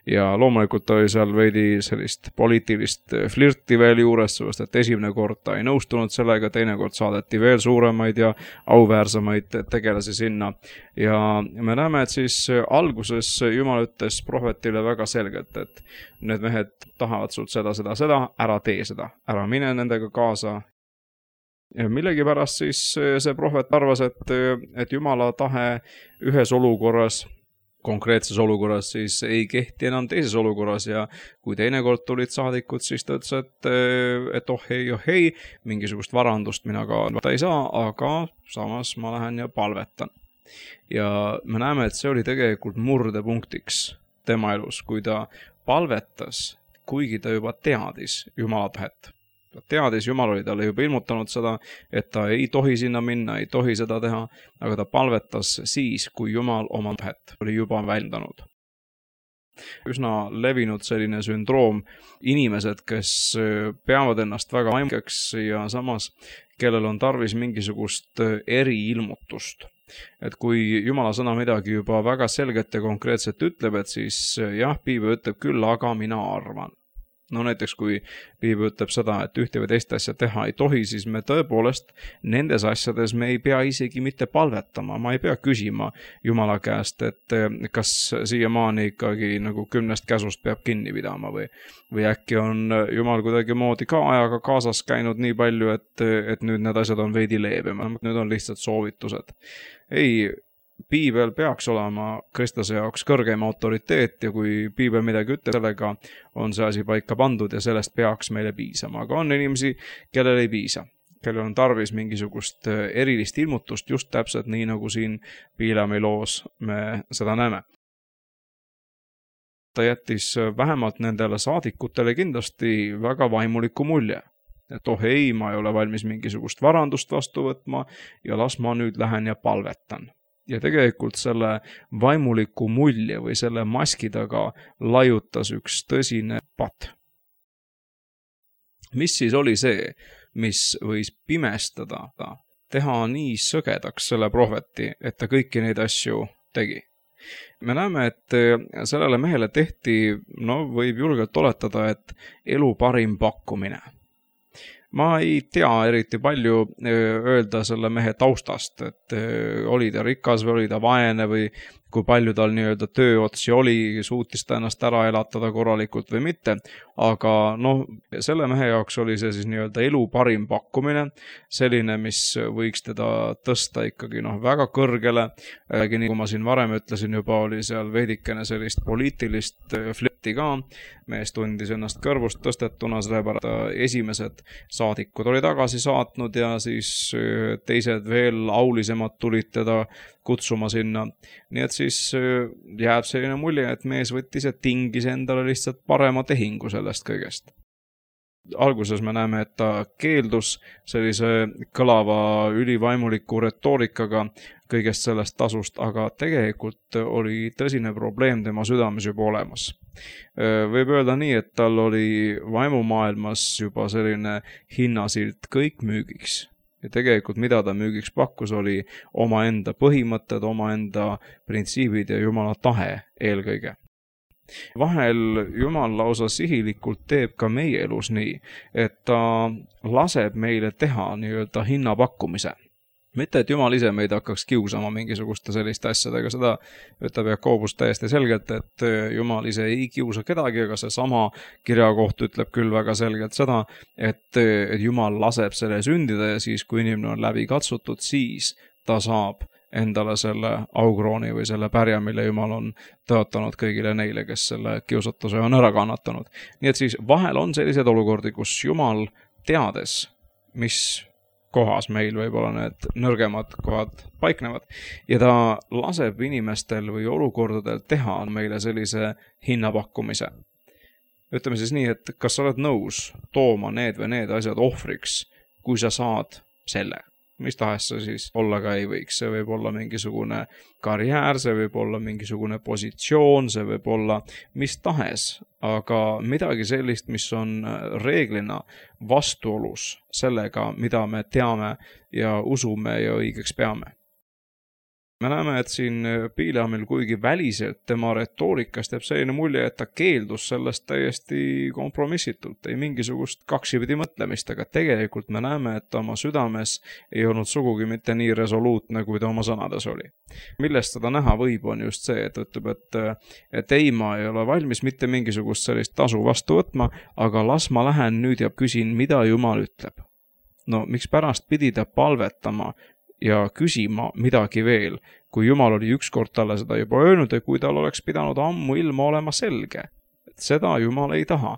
Ja loomulikult oli seal veidi sellist poliitilist flirti veel juures, sellest, et esimene kord ta ei nõustunud sellega, teine kord saadeti veel suuremaid ja auväärsemaid tegelasi sinna. Ja me näeme, et siis alguses Jumal ütles prohvetile väga selgelt, et need mehed tahavad sult seda, ära tee seda, ära mine nendega kaasa. Ja millegipärast siis see prohvet arvas, et Jumala tahe ühes olukorras, konkreetses olukorras siis ei kehti enam teises olukorras ja kui teine kord tulid saadikud, siis ta ütles, et oh hei, mingisugust varandust mina ka ei saa, aga samas ma lähen ja palvetan. Ja me näeme, et see oli tegelikult murdepunktiks tema elus, kui ta palvetas, kuigi ta juba teadis Jumala tahet. Ta teadis, Jumal oli talle juba ilmutanud seda, et ta ei tohi sinna minna, ei tohi seda teha, aga ta palvetas siis, kui Jumal oma tahet oli juba väljendanud. Üsna levinud selline sündroom, inimesed, kes peavad ennast väga vaimkeks ja samas, kellel on tarvis mingisugust eriilmutust. Et kui Jumala sõna midagi juba väga selgelt ja konkreetselt ütleb, et siis jah, Piibel ütleb küll, aga mina arvan. No näiteks kui Piibel ütleb seda, et ühte või teist asja teha ei tohi, siis me tõepoolest nendes asjades me ei pea isegi mitte palvetama. Ma ei pea küsima Jumala käest, et kas siiamaani ikkagi nagu 10 käsust peab kinni pidama või äkki on Jumal kuidagi moodi ka ajaga kaasas käinud nii palju, et nüüd need asjad on veidi leebemad. Nüüd on lihtsalt soovitused. Ei, Piibel peaks olema kristlase jaoks kõrgem autoriteet ja kui Piibel midagi ütleb, sellega on see asi paika pandud ja sellest peaks meile piisama. Aga on inimesi, kellel ei piisa, kellel on tarvis mingisugust erilist ilmutust just täpselt nii, nagu siin Bileami loos me seda näeme. Ta jättis vähemalt nendele saadikutele kindlasti väga vaimuliku mulje. Et oh ei, ma ei ole valmis mingisugust varandust vastu võtma ja las ma nüüd lähen ja palvetan. Ja tegelikult selle vaimuliku mulje või selle maski taga laiutas üks tõsine patt. Mis siis oli see, mis võis pimestada, teha nii sõgedaks selle prohveti, et ta kõiki neid asju tegi? Me näeme, et sellele mehele tehti, võib julgelt oletada, et elu parim pakkumine. Ma ei tea eriti palju öelda selle mehe taustast, et oli ta rikas või oli ta vaene või kui palju tal nii-öelda tööotsi oli, suutis ta ennast ära elatada korralikult või mitte, aga selle mehe jaoks oli see siis nii-öelda elu parim pakkumine, selline, mis võiks teda tõsta ikkagi väga kõrgele, nii kui ma siin varem ütlesin juba, oli seal veidikene sellist poliitilist flirti ka, mees tundis ennast kõrvust tõstetuna, sellepärast esimesed saadikud oli tagasi saatnud ja siis teised veel aulisemad tulid teda kutsuma sinna. Nii et siis jääb selline mulje, et mees võttis ja tingis endale lihtsalt parema tehingu sellest kõigest. Alguses me näeme, et ta keeldus sellise kõlava ülivaimuliku retoorikaga kõigest sellest tasust, aga tegelikult oli tõsine probleem tema südames juba olemas. Võib öelda nii, et tal oli vaimumaailmas juba selline hinnasilt kõik müügiks. Ja tegelikult mida ta müügiks pakkus oli omaenda põhimõtted, omaenda printsiibid ja Jumala tahe eelkõige. Vahel Jumal lausa sihilikult teeb ka meie elus nii, et ta laseb meile teha nii-öelda hinnapakkumise. Mitte, et Jumal ise meid hakkaks kiusama mingisuguste selliste asjadega, seda ütleb Jakobus täiesti selgelt, et Jumal ise ei kiusa kedagi, aga see sama kirjakoht ütleb küll väga selgelt seda, et Jumal laseb selle sündida ja siis, kui inimene on läbi katsutud, siis ta saab endale selle aukrooni või selle pärja, mille Jumal on tõotanud kõigile neile, kes selle kiusatuse on ära kannatanud. Nii et siis vahel on sellised olukordi, kus Jumal teades, mis kohas meil võib-olla need nõrgemad kohad paiknevad ja ta laseb inimestel või olukordadel teha meile sellise hinnapakkumise. Ütleme siis nii, et kas sa oled nõus tooma need või need asjad ohvriks, kui sa saad selle. Mis tahes see siis olla ka ei võiks. See võib olla mingisugune karjäär, see võib olla mingisugune positsioon, see võib olla mis tahes, aga midagi sellist, mis on reeglina vastuolus sellega, mida me teame ja usume ja õigeks peame. Me näeme, et siin Bileamil kuigi väliselt tema retoorikast jääb selline mulje, et ta keeldus sellest täiesti kompromissitult, ei mingisugust kaksipidi mõtlemist, aga tegelikult me näeme, et oma südames ei olnud sugugi mitte nii resoluutne, kui ta oma sõnades oli. Millest seda näha võib, on just see, et ütleb, et ei, ma ei ole valmis mitte mingisugust sellist tasu vastu võtma, aga las ma lähen nüüd ja küsin, mida Jumal ütleb. No, miks pärast pidi ta palvetama ja küsima midagi veel, kui Jumal oli ükskord talle seda juba öelnud ja kui tal oleks pidanud ammu ilma olema selge. Et seda Jumal ei taha.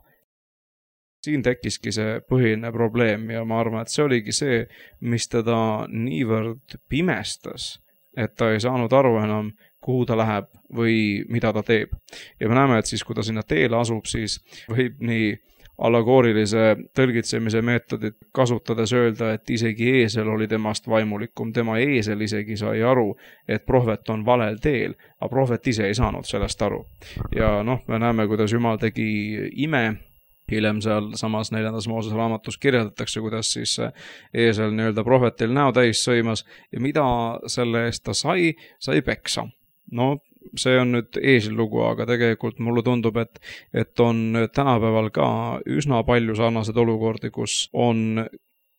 Siin tekkiski see põhiline probleem ja ma arvan, et see oligi see, mis teda niivõrd pimestas, et ta ei saanud aru enam, kuhu ta läheb või mida ta teeb. Ja me näeme, et siis, kui ta sinna teele asub, siis võib nii allegoorilise tõlgitsemise meetodit kasutades öelda, et isegi eesel oli temast vaimulikum. Tema eesel isegi sai aru, et prohvet on valel teel, aga prohvet ise ei saanud sellest aru. Ja me näeme, kuidas Jumal tegi ime. Hiljem seal samas 4. Moosese raamatus kirjeldatakse, kuidas siis eesel nii-öelda prohvetil näo täis sõimas ja mida selle eest ta sai peksa. See on nüüd eesillugu, aga tegelikult mulle tundub, et on tänapäeval ka üsna palju sarnased olukordi, kus on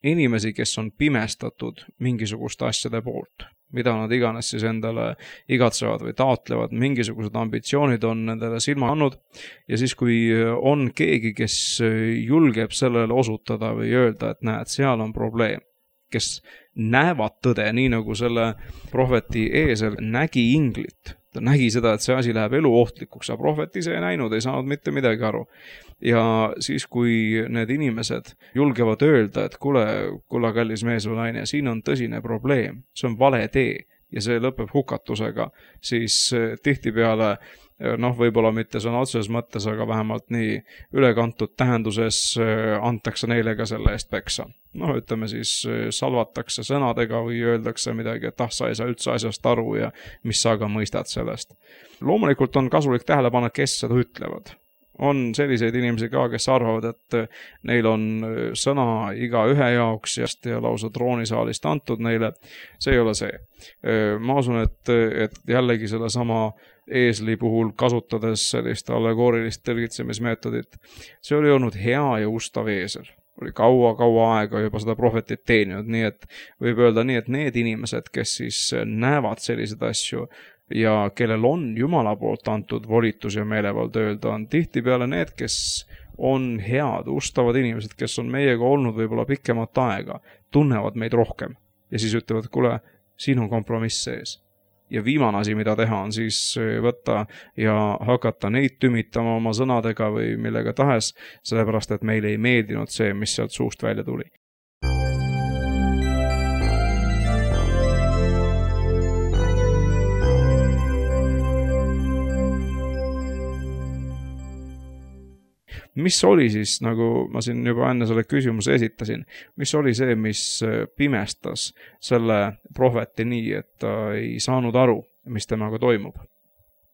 inimesi, kes on pimestatud mingisuguste asjade poolt, mida nad iganes siis endale igatsevad või taotlevad, mingisugused ambitsioonid on nendele silma andnud ja siis, kui on keegi, kes julgeb sellele osutada või öelda, et näed, seal on probleem, kes näevad tõde, nii nagu selle prohveti eesel nägi inglit. Ta nägi seda, et see asi läheb eluohtlikuks, aga prohvet ise ei näinud, ei saanud mitte midagi aru. Ja siis, kui need inimesed julgevad öelda, et kuule, kallis mees või naine, siin on tõsine probleem, see on vale tee ja see lõpeb hukatusega, siis tihtipeale võib-olla mitte sõna otseses mõttes, aga vähemalt nii ülekantud tähenduses antakse neile ka selle eest peksa. Ütleme siis salvatakse sõnadega või öeldakse midagi, et sa ei saa üldse asjast aru ja mis sa ka mõistad sellest. Loomulikult on kasulik tähele panna, kes seda ütlevad. On selliseid inimesi ka, kes arvavad, et neil on sõna iga ühe jaoks ja lausa troonisaalist antud neile. See ei ole see. Ma usun, et jällegi selle sama eesli puhul kasutades sellist allegoorilist tõlgitsemismeetodit. See oli olnud hea ja ustav eesel. Oli kaua aega juba seda prohvetit teeninud, nii et võib öelda nii, et need inimesed, kes siis näevad selliseid asju ja kellel on Jumala poolt antud volitus ja meelevald öelda, on tihtipeale need, kes on head, ustavad inimesed, kes on meiega olnud võib-olla pikemat aega, tunnevad meid rohkem ja siis ütlevad, kuule, siin on kompromiss sees. Ja viimane asi, mida teha, on siis võtta ja hakata neid tümitama oma sõnadega või millega tahes, sellepärast, et meile ei meeldinud see, mis sealt suust välja tuli. Mis oli siis, nagu ma siin juba enne selle küsimuse esitasin, mis oli see, mis pimestas selle prohveti nii, et ta ei saanud aru, mis temaga toimub?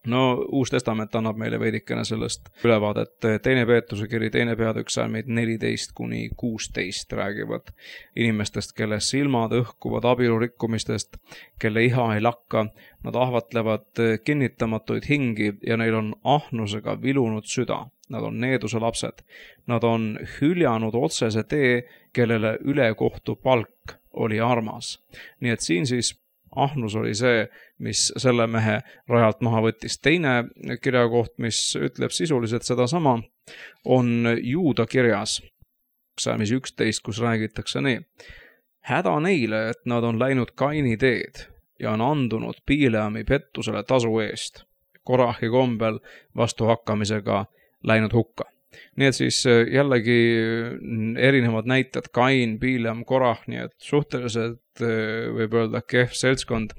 Uus testament annab meile veidikene sellest ülevaadet. 2. Peetruse kiri 2. peatükk salmid 14-16 räägivad inimestest, kelle silmad õhkuvad abielu rikkumistest, kelle iha ei lakka, nad ahvatlevad kinnitamatuid hingi ja neil on ahnusega vilunud süda. Nad on needuse lapsed. Nad on hüljanud otsese tee, kellele ülekohtu palk oli armas. Nii et siin siis ahnus oli see, mis selle mehe rajalt maha võttis. Teine kirjakoht, mis ütleb sisuliselt sedasama, on Juuda kirjas, salmis 11, kus räägitakse nii. Häda neile, et nad on läinud Kaini teed ja on andunud Bileami pettusele tasu eest. Korahi kombel vastuhakkamisega läinud hukka. Nii et siis jällegi erinevad näited, Kain, Bileam, Korah, nii et suhteliselt võib öelda kehv seltskond.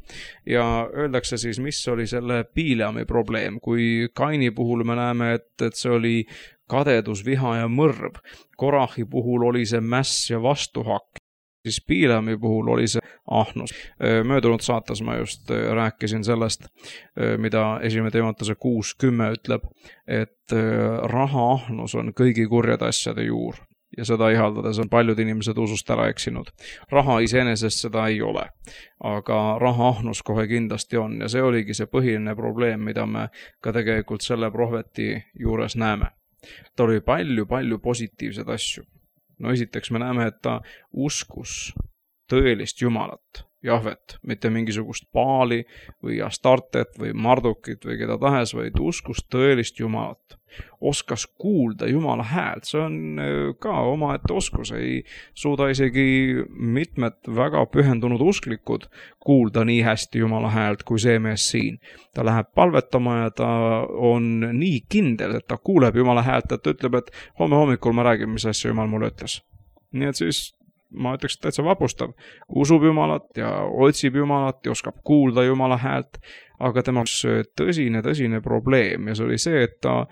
Ja öeldakse siis, mis oli selle Bileami probleem, kui Kaini puhul me näeme, et see oli kadedus, viha ja mõrv. Korahi puhul oli see mäss ja vastuhakk. Siis Bileami puhul oli see ahnus. Möödunud saates ma just rääkisin sellest, mida 1. Timoteuse 6:10 ütleb, et raha ahnus on kõigi kurjade asjade juur. Ja seda ihaldades on paljud inimesed usust ära eksinud. Raha iseenesest seda ei ole, aga raha ahnus kohe kindlasti on ja see oligi see põhiline probleem, mida me ka tegelikult selle prohveti juures näeme. Ta oli palju positiivseid asju. No esiteks me näeme, et ta uskus tõelist Jumalat, Jahvet, mitte mingisugust Baali või Astartet või Mardukit või keda tahes, vaid uskus tõelist Jumalat. Oskas kuulda Jumala häält, see on ka omaette oskus, ei suuda isegi mitmed väga pühendunud usklikud kuulda nii hästi Jumala häält kui see mees siin. Ta läheb palvetama ja ta on nii kindel, et ta kuuleb Jumala häält, et ta ütleb, et homme hommikul ma räägin, mis asja Jumal mulle ütles. Nii et siis ma ütleks täitsa vapustav, usub Jumalat ja otsib Jumalat ja oskab kuulda Jumala häält, aga tema tõsine probleem ja see oli see, et ta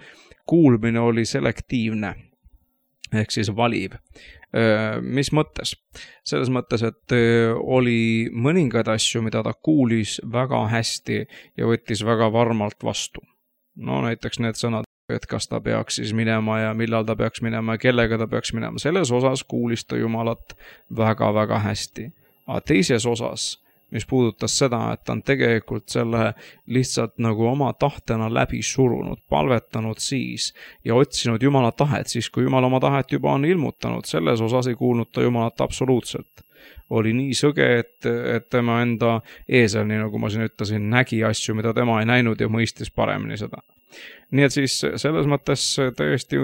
kuulmine oli selektiivne ehk siis valiv. Mis mõttes? Selles mõttes, et oli mõningaid asju, mida ta kuulis väga hästi ja võttis väga varmalt vastu. No näiteks need sõnad, et kas ta peaks siis minema ja millal ta peaks minema ja kellega ta peaks minema. Selles osas kuulis ta Jumalat väga hästi. Aga teises osas, mis puudutas seda, et ta on tegelikult selle lihtsalt nagu oma tahtena läbi surunud, palvetanud siis ja otsinud Jumala tahet, siis kui Jumal oma tahet juba on ilmutanud, selles osas ei kuulnud ta Jumalat absoluutselt. Oli nii sõge, et tema enda eesel, nii nagu ma siin ütlesin, nägi asju, mida tema ei näinud ja mõistis paremini seda. Nii et siis selles mõttes tõesti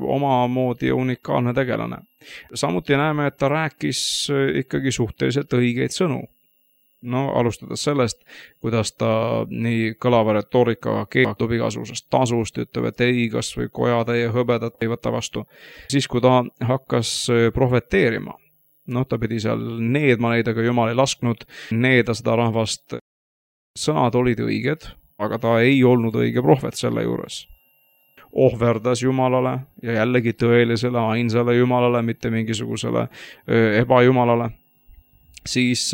omamoodi unikaalne tegelane. Samuti näeme, et ta rääkis ikkagi suhteliselt õigeid sõnu. No alustades sellest, kuidas ta nii kõlava retoorikaga keeldub igasugusest tasust, ütleb, et ei, kas või kojatäie hõbedat ei võta vastu. Siis, kui ta hakkas prohveteerima, ta pidi seal needma neid, aga Jumal ei lasknud needa seda rahvast. Sõnad olid õiged, aga ta ei olnud õige prohvet selle juures. Ohverdas Jumalale ja jällegi tõelisele, ainsale Jumalale, mitte mingisugusele ebajumalale. Siis,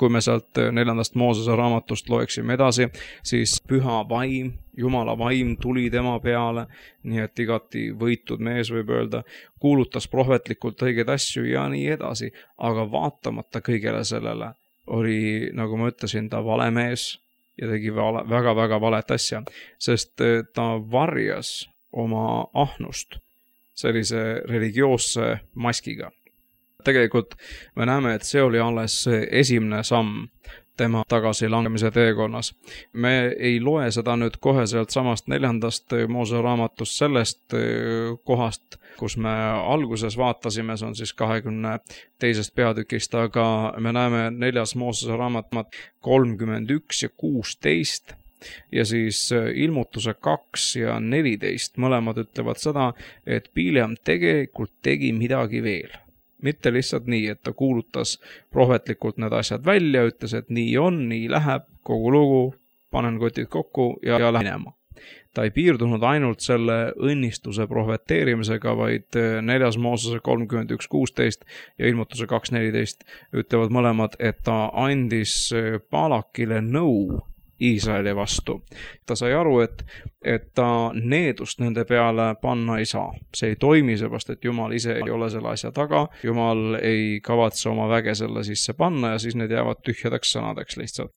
kui me sealt 4. Moosese raamatust loeksime edasi, siis püha vaim, Jumala vaim tuli tema peale, nii et igati võitud mees võib öelda, kuulutas prohvetlikult õigeid asju ja nii edasi, aga vaatamata kõigele sellele oli, nagu ma ütlesin, ta vale mees ja tegi väga valet asja, sest ta varjas oma ahnust sellise religioosse maskiga. Tegelikult me näeme, et see oli alles esimene samm tema tagasilangemise teekonnas. Me ei loe seda nüüd kohe sealt samast 4. Moosese raamatust sellest kohast, kus me alguses vaatasime, see on siis 22. peatükist, aga me näeme 4. Moosese raamat 31 ja 16 ja siis ilmutuse 2 ja 14 mõlemad ütlevad seda, et Bileam tegelikult tegi midagi veel. Mitte lihtsalt nii, et ta kuulutas prohvetlikult need asjad välja, ütles, et nii on, nii läheb, kogu lugu, panen kotid kokku ja lähen minema. Ta ei piirdunud ainult selle õnnistuse prohveteerimisega, vaid 4. Moosese 31.16 ja ilmutuse 2.14 ütlevad mõlemad, et ta andis Balakile nõu Iisraeli vastu. Ta sai aru, et ta needust nende peale panna ei saa. See ei toimi, seepärast, et Jumal ise ei ole selle asja taga. Jumal ei kavatse oma väge selle sisse panna ja siis need jäävad tühjadeks sõnadeks lihtsalt.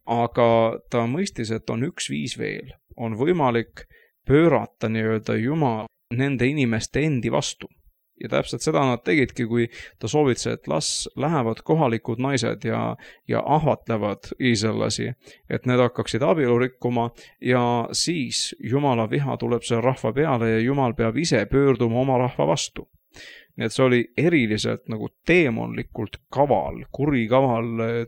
Aga ta mõistis, et on üks viis veel. On võimalik pöörata nii-öelda Jumal nende inimeste endi vastu. Ja täpselt seda nad tegidki, kui ta soovitse, et las lähevad kohalikud naised ja ahvatlevad iisraellasi, et need hakkaksid abielu rikkuma ja siis Jumala viha tuleb selle rahva peale ja Jumal peab ise pöörduma oma rahva vastu. Nii et see oli eriliselt nagu teemonlikult kaval, kurikaval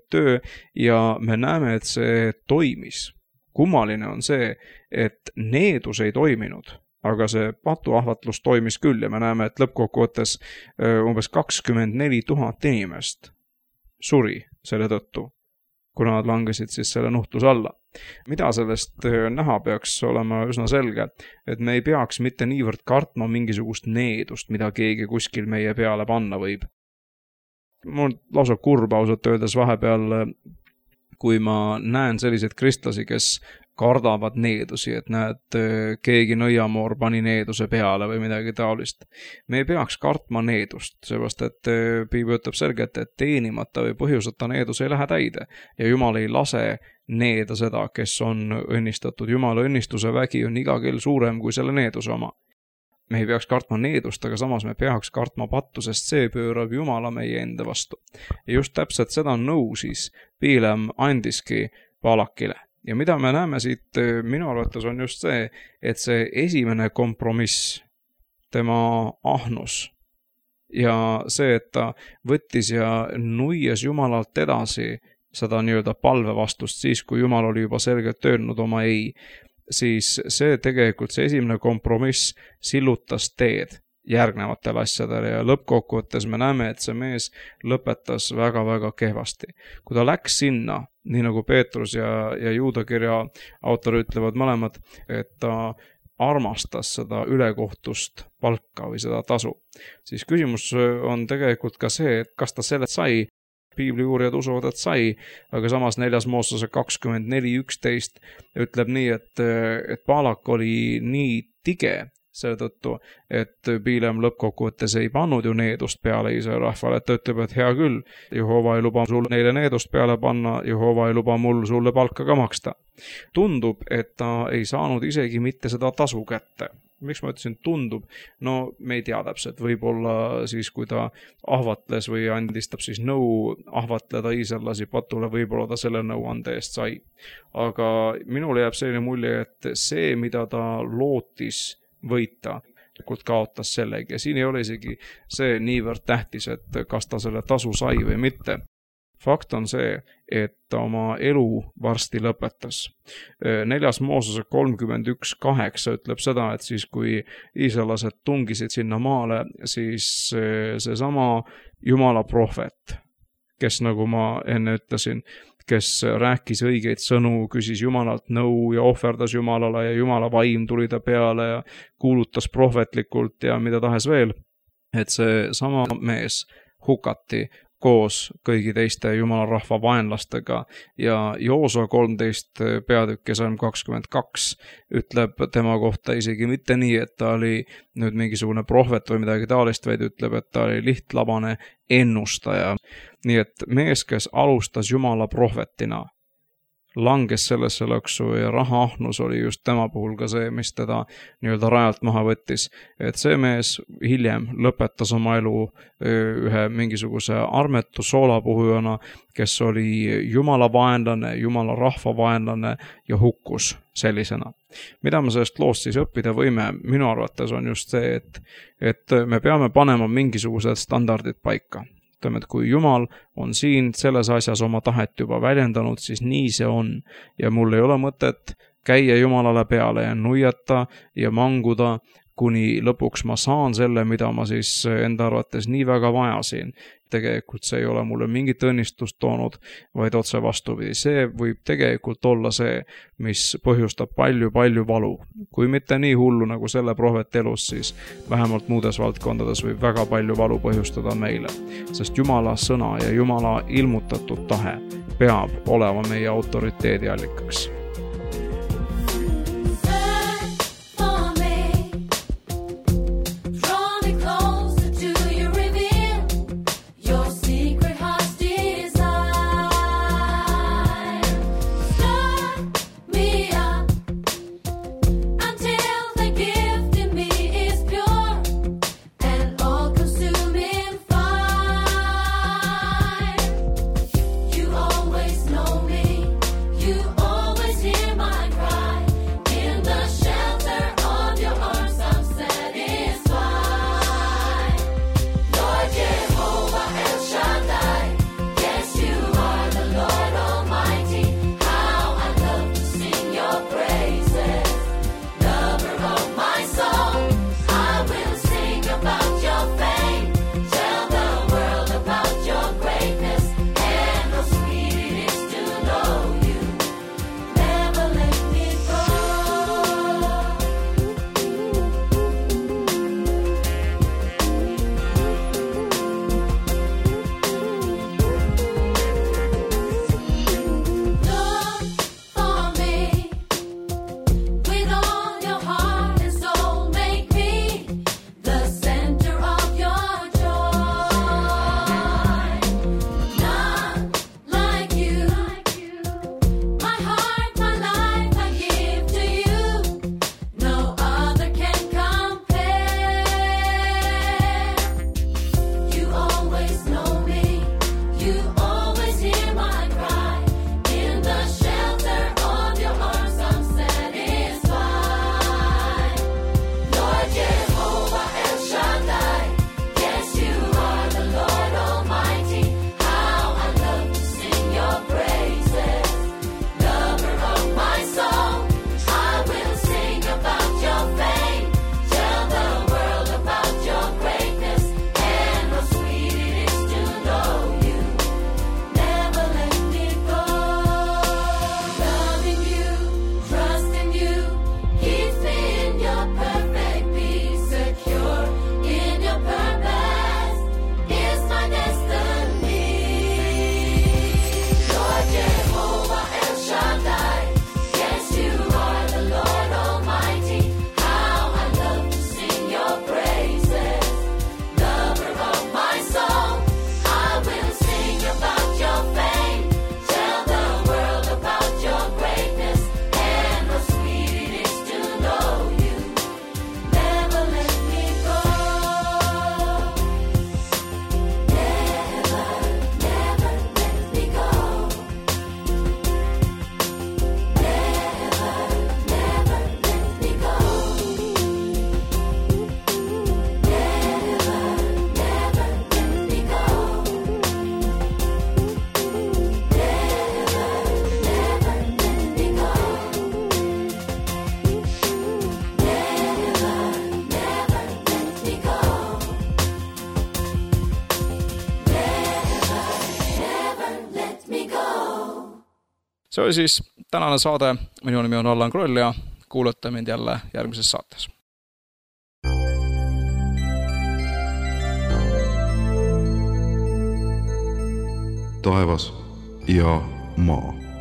töö ja me näeme, et see toimis. Kummaline on see, et needus ei toiminud, aga see patuahvatlus toimis küll ja me näeme, et lõppkokkuvõttes umbes 24 000 inimest suri selle tõttu, kuna nad langesid siis selle nuhtluse alla. Mida sellest näha peaks olema üsna selge, et me ei peaks mitte niivõrd kartma mingisugust needust, mida keegi kuskil meie peale panna võib. Mul lausa kurb ausalt öeldes vahepeal, kui ma näen selliseid kristlasi, kes kardavad needusi, et näed, keegi nõiamoor pani needuse peale või midagi taolist. Me ei peaks kartma needust, seepärast et Piibel ütleb selgelt, et teenimata või põhjuseta needus ei lähe täide ja Jumal ei lase needa seda, kes on õnnistatud. Jumala õnnistuse vägi on iga kell suurem kui selle needuse oma. Me ei peaks kartma needust, aga samas me peaks kartma pattu, sest see pöörab Jumala meie enda vastu. Ja just täpselt seda nõu siis Piilem andiski Balakile. Ja mida me näeme siit minu arvates on just see, et see esimene kompromiss, tema ahnus ja see, et ta võttis ja nuies Jumalalt edasi seda nii-öelda palvevastust siis, kui Jumal oli juba selgelt öelnud oma ei, siis see tegelikult see esimene kompromiss sillutas teed järgnevatele asjadele ja lõppkokkuvõttes me näeme, et see mees lõpetas väga-väga kehvasti. Kui ta läks sinna, nii nagu Peetrus ja Juudakirja autor ütlevad mõlemad, et ta armastas seda ülekohtust palka või seda tasu, siis küsimus on tegelikult ka see, et kas ta selle sai. Piibli uurijad usuvad, et sai, aga samas 4. Moosese 24:11 ütleb nii, et Balak oli nii tige selle tõttu, et Piilem lõppkokkuvõttes ei pannud ju needust peale Iisraeli rahvale, et ta ütleb, et hea küll, Jehova ei luba sul neile needust peale panna, Jehova ei luba mul sulle palka ka maksta. Tundub, et ta ei saanud isegi mitte seda tasu kätte. Miks ma ütlesin tundub? No me ei tea täpselt, võib-olla siis kui ta ahvatles või andistab siis nõu ahvatleda iisraellasi patule, võib-olla ta selle nõuande eest sai. Aga minule jääb selline mulje, et see, mida ta lootis võita, kaotas sellegi ja siin ei ole isegi see niivõrd tähtis, et kas ta selle tasu sai või mitte. Fakt on see, et ta oma elu varsti lõpetas. 4. Moosese 31:8 ütleb seda, et siis kui iisraelased tungisid sinna maale, siis seesama Jumala prohvet, kes nagu ma enne ütlesin, kes rääkis õigeid sõnu, küsis Jumalalt nõu ja ohverdas Jumalale ja Jumala vaim tuli ta peale ja kuulutas prohvetlikult ja mida tahes veel, et see sama mees hukati koos kõigi teiste Jumala rahva vaenlastega ja Joosua 13 peatükk ja Salm 22 ütleb tema kohta isegi mitte nii, et ta oli nüüd mingisugune prohvet või midagi taolist, vaid ütleb, et ta oli lihtlabane ennustaja. Nii et mees, kes alustas Jumala prohvetina, langes sellesse lõksu ja rahaahnus oli just tema puhul ka see, mis teda nii-öelda rajalt maha võttis. Et see mees hiljem lõpetas oma elu ühe mingisuguse armetu soolapuhujana, kes oli Jumala vaenlane, Jumala rahva vaenlane ja hukkus sellisena. Mida me sellest loost siis õppida võime? Minu arvates on just see, et me peame panema mingisugused standardid paika. Et kui Jumal on siin selles asjas oma tahet juba väljendanud, siis nii see on. Ja mul ei ole mõtet käia Jumalale peale ja nuiata ja manguda, kuni lõpuks ma saan selle, mida ma siis enda arvates nii väga vajasin. Tegelikult see ei ole mulle mingit õnnistust toonud, vaid otse vastupidi. See võib tegelikult olla see, mis põhjustab palju valu. Kui mitte nii hullu nagu selle prohveti elus, siis vähemalt muudes valdkondades võib väga palju valu põhjustada meile. Sest Jumala sõna ja Jumala ilmutatud tahe peab olema meie autoriteedi allikaks. You always see oli siis tänane saade, minu nimi on Allan Kroll ja kuulate mind jälle järgmises saates. Taevas ja maa.